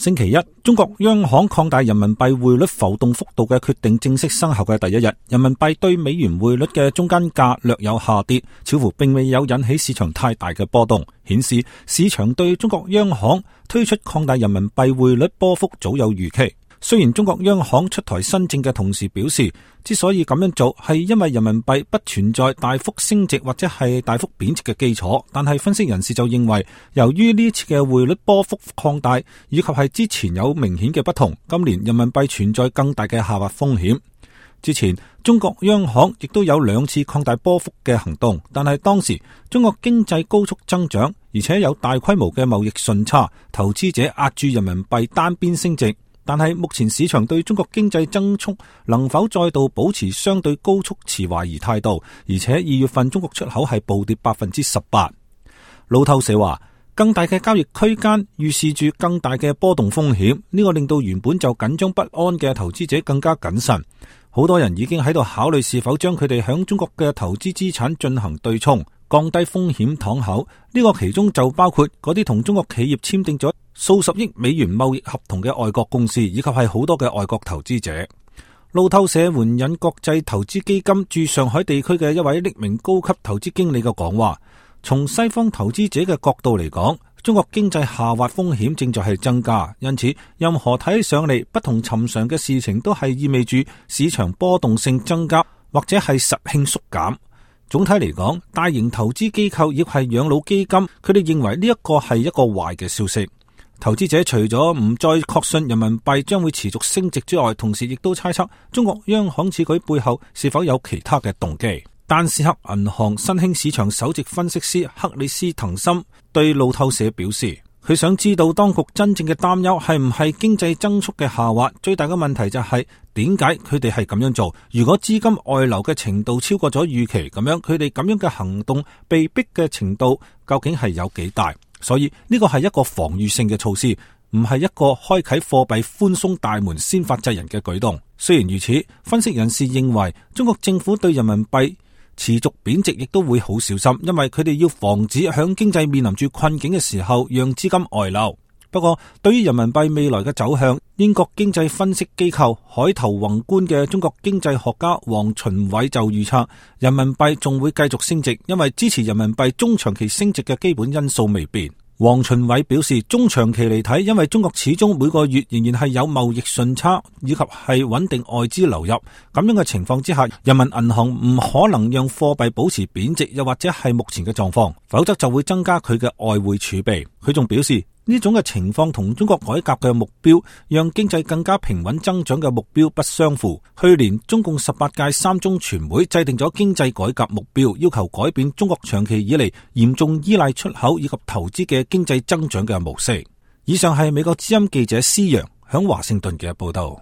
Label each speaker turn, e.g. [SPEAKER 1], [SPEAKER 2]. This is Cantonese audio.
[SPEAKER 1] 星期一，中國央行擴大人民幣匯率浮動幅度嘅決定正式生效嘅第一日，人民幣對美元匯率嘅中間價略有下跌，似乎並未有引起市場太大嘅波動，顯示市場對中國央行推出擴大人民幣匯率波幅早有預期。雖然中國央行出台新政嘅同時表示，之所以咁樣做係因為人民幣不存在大幅升值或者係大幅貶值嘅基礎，但係分析人士就認為，由於呢次嘅匯率波幅擴大，以及係之前有明顯嘅不同，今年人民幣存在更大嘅下滑風險。之前中國央行亦都有2次擴大波幅嘅行動，但係當時中國經濟高速增長，而且有大規模嘅貿易順差，投資者壓住人民幣單邊升值。但係目前市場對中國經濟增速能否再度保持相對高速持懷疑態度，而且2月份中國出口係暴跌 18%。路透社話，更大嘅交易區間預示住更大嘅波動風險，呢個令到原本就緊張不安嘅投資者更加謹慎。好多人已經喺度考慮是否將佢哋響中國嘅投資資產進行對沖，降低風險敞口。呢個其中就包括嗰啲同中國企業簽訂咗數十億美元貿易合同嘅外國公司，以及係好多嘅外國投資者。路透社援引國際投資基金駐上海地區嘅一位匿名高級投資經理嘅講話，從西方投資者嘅角度嚟講，中國經濟下滑風險正在係增加，因此任何睇起上嚟不同尋常嘅事情都係意味住市場波動性增加，或者係實性縮減。總體嚟講，大型投資機構亦係養老基金，佢哋認為呢一個係一個壞嘅消息。投資者除咗唔再確信人民幣將會持續升值之外，同時亦都猜測中國央行此舉背後是否有其他嘅動機。丹斯克銀行新興市場首席分析師克里斯滕森對路透社表示，佢想知道當局真正嘅擔憂係唔係經濟增速嘅下滑，最大嘅問題就係點解佢哋係咁樣做。如果資金外流嘅程度超過咗預期，咁樣佢哋咁樣嘅行動被逼嘅程度究竟係有幾大？所以呢個係一個防禦性嘅措施，唔係一個開啟貨幣寬鬆大門先發制人嘅舉動。雖然如此，分析人士認為中國政府對人民幣持續貶值亦都會好小心，因為佢哋要防止響經濟面臨住困境嘅時候讓資金外流。不過對於人民幣未來嘅走向，英國經濟分析機構海投宏觀嘅中國經濟學家黃循偉就預測，人民幣仲會繼續升值，因為支持人民幣中長期升值嘅基本因素未變。黃循偉表示，中長期嚟睇，因為中國始終每個月仍然係有貿易順差，以及係穩定外資流入，咁樣嘅情況之下，人民銀行唔可能讓貨幣保持貶值，又或者係目前嘅狀況，否則就會增加佢嘅外匯儲備。佢仲表示，呢種嘅情況同中國改革嘅目標，讓經濟更加平穩增長嘅目標不相符。去年中共18屆三中全會制定咗經濟改革目標，要求改變中國長期以嚟嚴重依賴出口以及投資嘅經濟增長嘅模式。以上係美國之音記者施洋響華盛頓嘅報道。